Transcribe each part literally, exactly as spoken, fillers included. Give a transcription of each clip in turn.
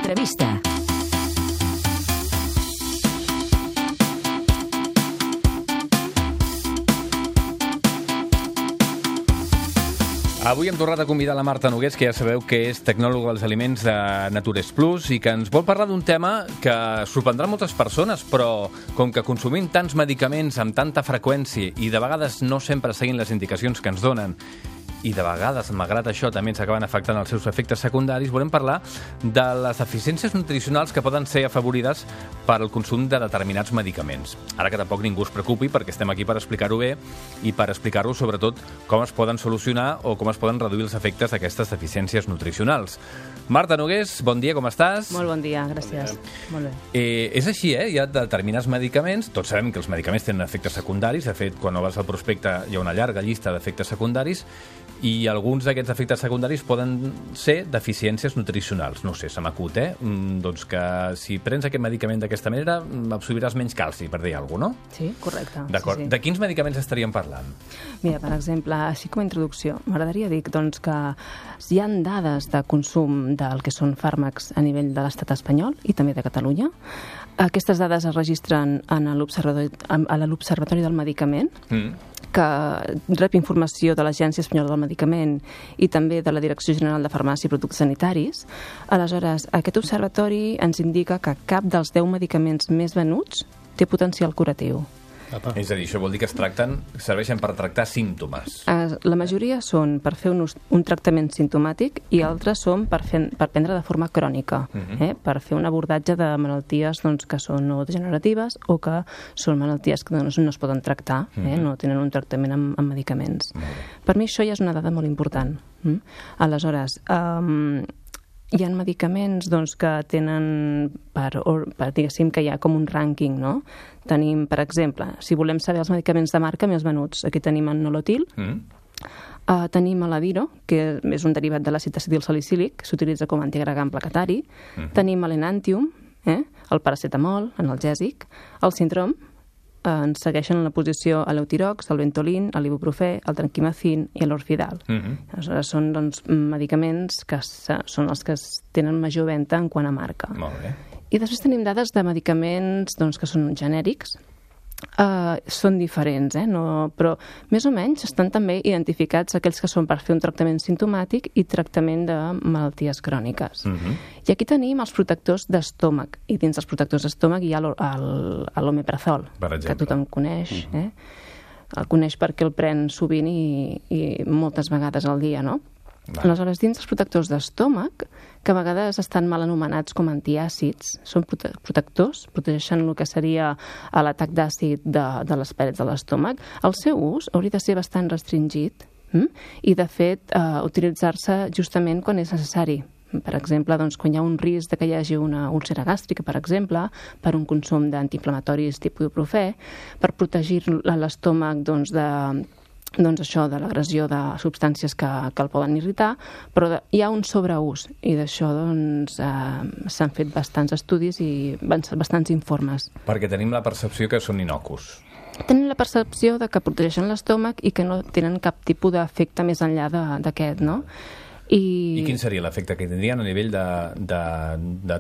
L'entrevista. Avui hem tornat a convidar la Marta Nogués, que ja sabeu que és tecnòloga dels aliments de Natures Plus i que ens vol parlar d'un tema que sorprendrà moltes persones, però com que consumim tants medicaments amb tanta freqüència i de vegades no sempre seguint les indicacions que ens donen, i de vegades, malgrat això, també ens acaben afectant els seus efectes secundaris, volem parlar de les deficiències nutricionals que poden ser afavorides per al consum de determinats medicaments. Ara que tampoc ningú es preocupi, perquè estem aquí per explicar-ho bé i per explicar-ho, sobretot, com es poden solucionar o com es poden reduir els efectes d'aquestes deficiències nutricionals. Marta Nogués, bon dia, com estàs? Molt bon dia, gràcies. Bon dia. Molt bé. Eh, és així, eh? Hi ha determinats medicaments, tots sabem que els medicaments tenen efectes secundaris, de fet, quan no vas al prospecte hi ha una llarga llista d'efectes secundaris, i alguns d'aquests efectes secundaris poden ser deficiències nutricionals. No sé, se m'acut, eh? Mm, doncs que si prens aquest medicament d'aquesta manera absorbiràs menys calci, per dir alguna cosa, no? Sí, correcte. D'acord. Sí, sí. De quins medicaments estaríem parlant? Mira, per exemple, així com a introducció, m'agradaria dir doncs, que hi ha dades de consum del que són fàrmacs a nivell de l'estat espanyol i també de Catalunya. Aquestes dades es registren en l'Observatori a l'Observatori del Medicament, mm. que rep informació de l'Agència Espanyola del Medicament i també de la Direcció General de Farmàcia i Productes Sanitaris. Aleshores, aquest observatori ens indica que cap dels deu medicaments més venuts té potencial curatiu. Apa. És a dir, això vol dir que es tracten, serveixen per tractar símptomes. La majoria són per fer un, un tractament simptomàtic i altres són per, fer, per prendre de forma crònica, uh-huh. eh? per fer un abordatge de malalties doncs, que són no degeneratives o que són malalties que no, no es poden tractar, uh-huh. eh? no tenen un tractament amb, amb medicaments. Uh-huh. Per mi això ja és una dada molt important. Mm? Aleshores, um, hi ha medicaments doncs, que tenen, per, per, diguéssim que hi ha com un rànquing, no? Tenim, per exemple, si volem saber els medicaments de marca més venuts, aquí tenim el Nolotil, mm. uh, tenim l'Adiro, que és un derivat de l'àcid acetilsalicílic, que s'utilitza com a antiagregant placatari, mm. tenim l'Enantium, eh? el paracetamol, analgèsic, el Sintrom, ens segueixen en la posició a l'Eutirox, el Ventolin, l'ibuprofè, el Tranquimacin i l'Orfidal. Uh-huh. Aleshores, són doncs, medicaments que són els que tenen major venda en quant a marca. Molt bé. I després tenim dades de medicaments doncs, que són genèrics. Uh, són diferents, eh? no, però més o menys estan també identificats aquells que són per fer un tractament simptomàtic i tractament de malalties cròniques. Uh-huh. I aquí tenim els protectors d'estómac, i dins dels protectors d'estómac hi ha l'omeprazol, que tothom coneix. Uh-huh. eh? El coneix perquè el pren sovint i, i moltes vegades al dia, no? Vale. Aleshores, dins els protectors d'estómac, que a vegades estan mal anomenats com antiàcids, són prote protectors, protegeixen el que seria l'atac d'àcid de, de les parets de l'estómac, el seu ús hauria de ser bastant restringit hm? i, de fet, eh, utilitzar-se justament quan és necessari. Per exemple, doncs, quan hi ha un risc de que hi hagi una úlcera gàstrica, per exemple, per un consum d'antiinflamatoris tipus ibuprofè, per protegir l'estómac doncs, de doncs això, de l'agressió de substàncies que, que el poden irritar, però de, hi ha un sobreús i d'això doncs, eh, s'han fet bastants estudis i bastants informes. Perquè tenim la percepció que són innocus. Tenen la percepció de que protegeixen l'estómac i que no tenen cap tipus d'efecte més enllà d'aquest, no? I... I quin seria l'efecte que tindrien a nivell de, de, de,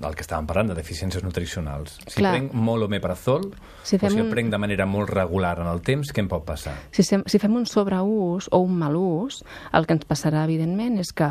del que estàvem parlant, de deficiències nutricionals? Si Clar. prenc molt omeprazol, si o si el un... prenc de manera molt regular en el temps, què em pot passar? Si, si fem un sobreús o un mal ús, el que ens passarà, evidentment, és que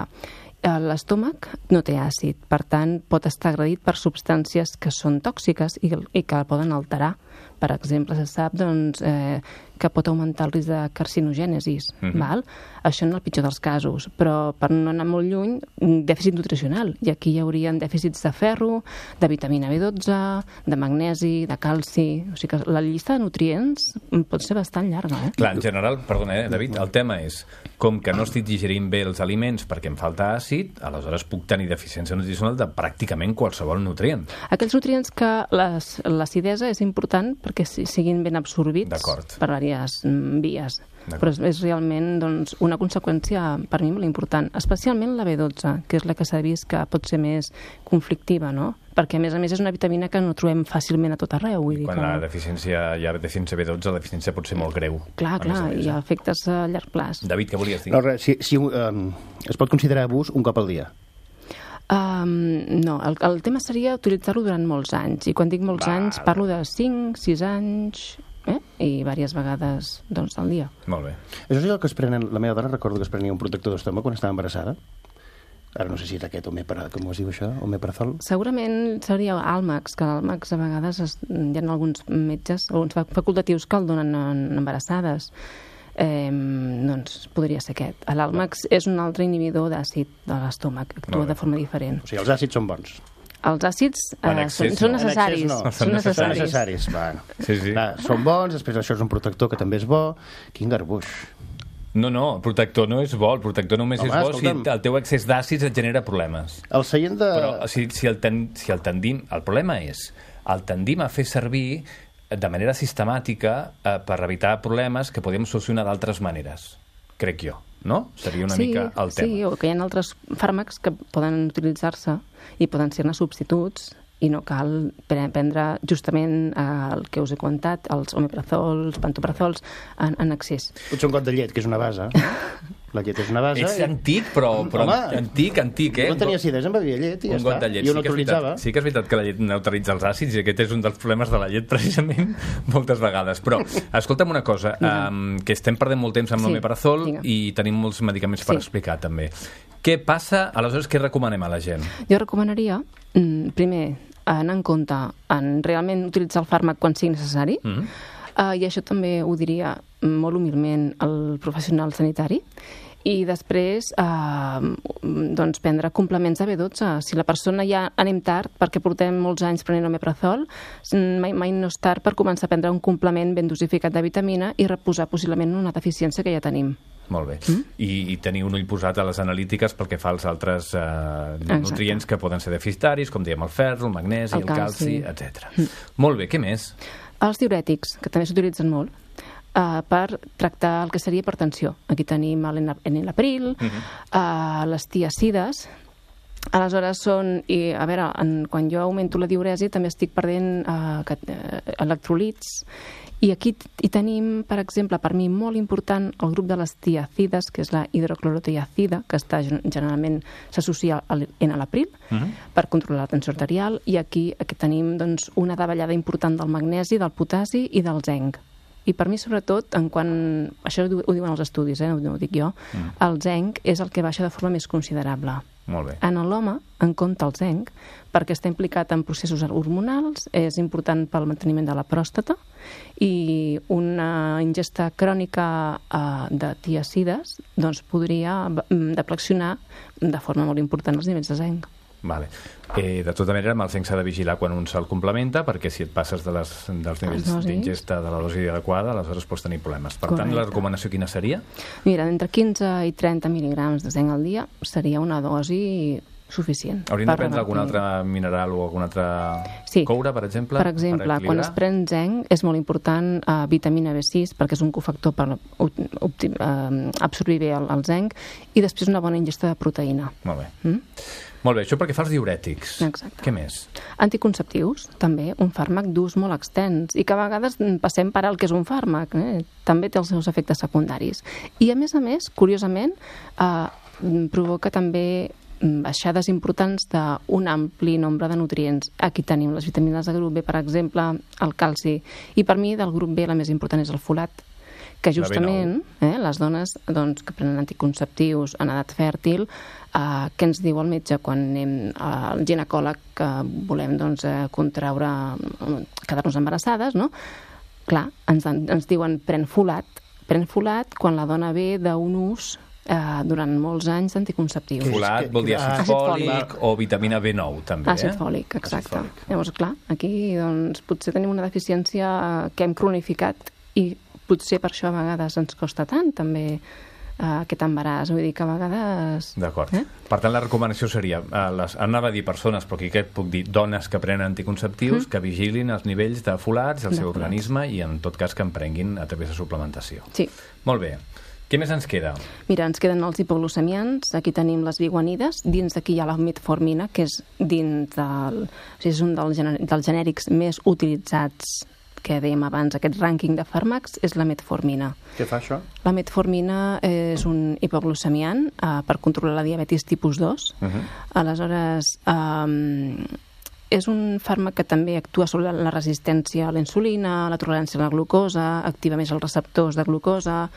l'estómac no té àcid, per tant, pot estar agredit per substàncies que són tòxiques i, i que poden alterar. Per exemple, se sap doncs, eh, que pot augmentar el risc de carcinogènesis. Uh-huh. Val? Això en el pitjor dels casos, però per no anar molt lluny, un dèficit nutricional. I aquí hi haurien dèficits de ferro, de vitamina B dotze, de magnesi, de calci... O sigui que la llista de nutrients pot ser bastant llarga. Eh? Clar, en general, perdona, eh, David, el tema és com que no estic digerint bé els aliments perquè em falta àcid, aleshores puc tenir deficiència nutricional de pràcticament qualsevol nutrient. Aquells nutrients que l'acidesa és important perquè siguin ben absorbits per diverses vies. Però és realment doncs, una conseqüència per mi molt important, especialment la B dotze, que és la que s'ha vist que pot ser més conflictiva, no? Perquè a més a més és una vitamina que no trobem fàcilment a tot arreu. Vull dir quan que... la deficiència, hi ha deficiència B dotze, la deficiència pot ser molt greu. Clar, clar, hi ha efectes a llarg plaç. David, què volies dir? No, res, si, si um, es pot considerar abús un cop al dia? Um, no, el, el tema seria utilitzar-lo durant molts anys. I quan dic molts Val. anys, parlo de cinc, sis anys, eh? I diverses vegades doncs, al dia. Molt bé. Això és el que es prenen... La meva dona recordo que es prenia un protector d'estómac quan estava embarassada. Ara no sé si és aquest omepra... Com es diu això? Omeprazol? Segurament seria Almax, que l'Almax a vegades es, hi ha alguns metges, alguns facultatius que el donen en embarassades. Eh, doncs podria ser aquest. L'Almax és un altre inhibidor d'àcid de l'estómac, actua de forma diferent. O sigui, els àcids són bons. Els àcids eh, excés, són, són no. necessaris. En excés no. Són necessaris. Són necessaris. Bueno. Sí, sí. Clar, són bons, després això és un protector que també és bo. Quin garbuix. No, no, el protector no és bo. El protector només Home, és bo escolta'm. si el teu excés d'àcids et genera problemes. El seient de... Però si, si, el ten, si el tendim... El problema és, el tendim a fer servir de manera sistemàtica eh, per evitar problemes que podem solucionar d'altres maneres, crec jo, no? Seria una sí, mica el tema. Sí, o que hi ha altres fàrmacs que poden utilitzar-se i poden ser-ne substituts i no cal prendre justament el que us he comentat, els omeprazols, pantoprazols, en, en excés. Potser un got de llet, que és una base. La llet és una base. Ets i... antic, però, però Home, antic, antic, eh? No tenia acidesa, em bevia llet i ja un got està. de llet. Jo Sí no que és veritat- autoritzava. Sí que és veritat que la llet neutralitza els àcids i aquest és un dels problemes de la llet, precisament, moltes vegades. Però, escolta'm una cosa, um, que estem perdent molt temps amb Sí, l'omeprazol vinga. i tenim molts medicaments per Sí. explicar, també. Què passa? Aleshores, què recomanem a la gent? Jo recomanaria, mm, primer, anar en compte en realment utilitzar el fàrmac quan sigui necessari, Mm -hmm. uh, i això també ho diria molt humilment al professional sanitari, i després eh, doncs prendre complements de B dotze. Si la persona ja anem tard perquè portem molts anys prenent omeprazol, mai, mai no és tard per començar a prendre un complement ben dosificat de vitamina i reposar possiblement una deficiència que ja tenim. Molt bé. Mm? I, I tenir un ull posat a les analítiques pel que fa als altres eh, nutrients que poden ser deficitaris, com diem el ferro, el magnesi, el, el calci, calci etcètera. Mm. Molt bé, què més? Els diurètics, que també s'utilitzen molt, Uh, per tractar el que seria hipertensió. Aquí tenim l'enalapril, uh -huh. uh, les tiacides. Aleshores són, i a veure, en, quan jo augmento la diuresi també estic perdent uh, que, uh, electrolits, i aquí hi tenim, per exemple, per mi molt important el grup de les tiacides, que és la hidroclorotiacida, que està generalment s'associa a l'enalapril, uh -huh. per controlar la tensió arterial, i aquí, aquí tenim doncs, una davallada important del magnesi, del potasi i del zinc. I per mi, sobretot, en quan... Això ho diuen els estudis, eh? No ho dic jo. Mm. El zinc és el que baixa de forma més considerable. Molt bé. En l'home, en compte el zinc, perquè està implicat en processos hormonals, és important pel manteniment de la pròstata, i una ingesta crònica eh, de tiacides doncs, podria deflexionar de forma molt important els nivells de zinc. Vale. Eh, de tota manera, amb el zinc s'ha de vigilar quan un se'l complementa, perquè si et passes de les, dels nivells d'ingesta de la dosi adequada, aleshores pots tenir problemes. Per Correcte. Tant, la recomanació quina seria? Mira, entre quinze i trenta mil·ligrams de zinc al dia seria una dosi suficient. Hauríem de prendre algun altre mineral o algun altre sí. coure, per exemple? Per exemple, per quan es pren zinc és molt important eh, vitamina B sis, perquè és un cofactor per eh, absorbir bé el, el zinc, i després una bona ingesta de proteïna. Molt bé. Mm? Molt bé, això perquè fa els diurètics. Exacte. Què més? Anticonceptius, també, un fàrmac d'ús molt extens, i que a vegades passem per al que és un fàrmac, eh? També té els seus efectes secundaris. I a més a més, curiosament, eh, provoca també baixades importants d'un ampli nombre de nutrients. Aquí tenim les vitamines de grup B, per exemple, el calci, i per mi del grup B la més important és el folat, que justament eh, les dones doncs, que prenen anticonceptius en edat fèrtil, eh, què ens diu el metge quan anem al ginecòleg que volem doncs, eh, contraure, quedar-nos embarassades, no? Clar, ens, ens diuen pren folat, pren folat quan la dona ve d'un ús eh, durant molts anys d'anticonceptius. Folat vol dir àcid fòlic o vitamina B nou, també. Àcid fòlic, exacte. Àcid fòlic. Llavors, clar, aquí doncs, potser tenim una deficiència que hem cronificat i potser per això a vegades ens costa tant també uh, aquest embaràs, vull dir que a vegades... D'acord. Eh? Per tant, la recomanació seria, uh, les, anava a dir persones, però aquí què puc dir, dones que prenen anticonceptius, mm. que vigilin els nivells de folats del de seu folats. organisme i en tot cas que en prenguin a través de suplementació. Sí. Molt bé. Què més ens queda? Mira, ens queden els hipoglucemians, aquí tenim les biguanides, dins d'aquí hi ha la metformina, que és dins del... O sigui, és un dels, gener... dels genèrics més utilitzats que dèiem abans, aquest rànquing de fàrmacs, és la metformina. Què fa això? La metformina és un hipoglucemiant eh, per controlar la diabetis tipus dos. Uh-huh. Aleshores, eh, és un fàrmac que també actua sobre la resistència a la insulina, la tolerància a la glucosa, activa més els receptors de glucosa,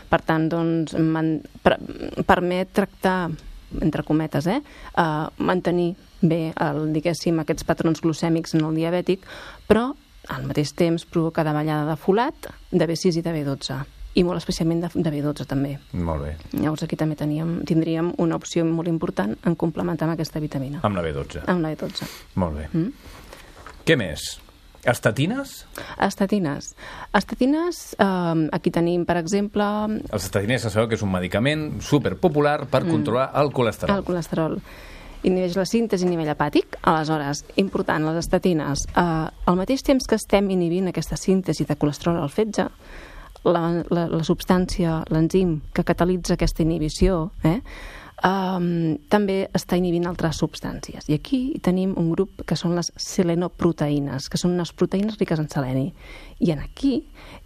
per tant, doncs, man, per, permet tractar, entre cometes, eh, eh, mantenir bé, el, diguéssim, aquests patrons glucèmics en el diabètic, però al mateix temps provoca davallada de folat, de B sis i de B dotze, i molt especialment de, de B dotze també. Molt bé. Llavors aquí també teníem, tindríem una opció molt important en complementar amb aquesta vitamina. Amb la B dotze. Amb la B dotze. Molt bé. Mm? Què més? Estatines? Estatines. Estatines, eh, aquí tenim, per exemple... Els estatines, sabeu que és un medicament superpopular per mm. controlar el colesterol. El colesterol. Inhibeix la síntesi a nivell hepàtic. Aleshores, important, les estatines. Eh, al mateix temps que estem inhibint aquesta síntesi de colesterol al fetge, la, la, la substància, l'enzim que catalitza aquesta inhibició, eh, Um, també està inhibint altres substàncies. I aquí tenim un grup que són les selenoproteïnes, que són unes proteïnes riques en seleni. I en aquí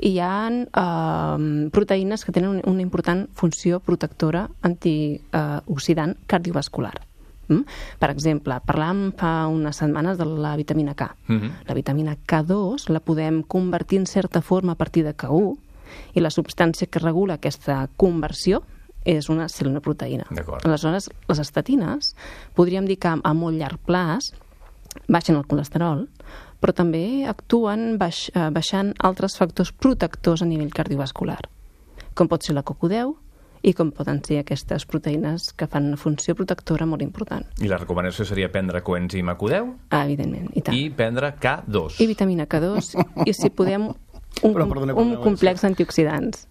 hi ha um, proteïnes que tenen una important funció protectora antioxidant cardiovascular. Mm? Per exemple, parlàvem fa unes setmanes de la vitamina K. Mm-hmm. La vitamina K dos la podem convertir en certa forma a partir de K u, i la substància que regula aquesta conversió és una selenoproteïna. Aleshores, les estatines, podríem dir que a molt llarg plaç baixen el colesterol, però també actuen baix, baixant altres factors protectors a nivell cardiovascular, com pot ser la C O Q deu i com poden ser aquestes proteïnes que fan una funció protectora molt important. I la recomanació seria prendre coenzim A Q deu? Ah, evidentment, i tant. I prendre K dos. I vitamina K dos, i si podem, un, però, perdona, un complex d'antioxidants.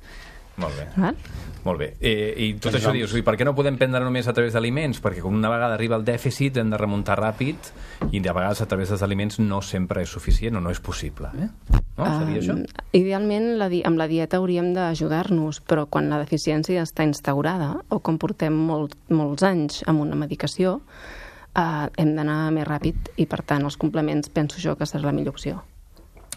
Molt bé. Val? Molt bé. Eh, I tot això dius, per què no podem prendre només a través d'aliments? Perquè com una vegada arriba el dèficit hem de remuntar ràpid i de vegades a través dels aliments no sempre és suficient o no és possible. Eh? No? Seria um, això? Idealment la di- amb la dieta hauríem d'ajudar-nos, però quan la deficiència està instaurada o com portem molt, molts anys amb una medicació, eh, hem d'anar més ràpid i per tant els complements penso jo que serà la millor opció.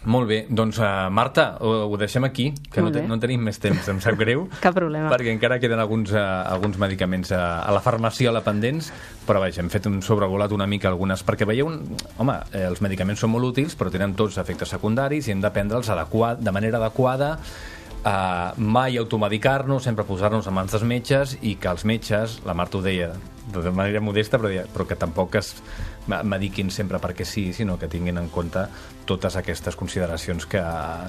Molt bé, doncs uh, Marta, ho, ho deixem aquí, que no, te, no tenim més temps, em sap greu. Cap problema. Perquè encara queden alguns, uh, alguns medicaments uh, a la farmaciola pendents, però vaja, hem fet un sobrevolat una mica algunes, perquè veieu, home, eh, els medicaments són molt útils, però tenen tots efectes secundaris i hem de prendre'ls adequat, de manera adequada, uh, mai automedicar-nos, sempre posar-nos a mans dels metges i que els metges, la Marta ho deia de manera modesta, però, però que tampoc es mediquin sempre perquè sí, sinó que tinguin en compte totes aquestes consideracions que,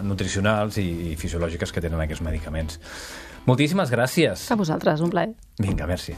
nutricionals i, i fisiològiques que tenen aquests medicaments. Moltíssimes gràcies. A vosaltres, un plaer. Vinga, merci.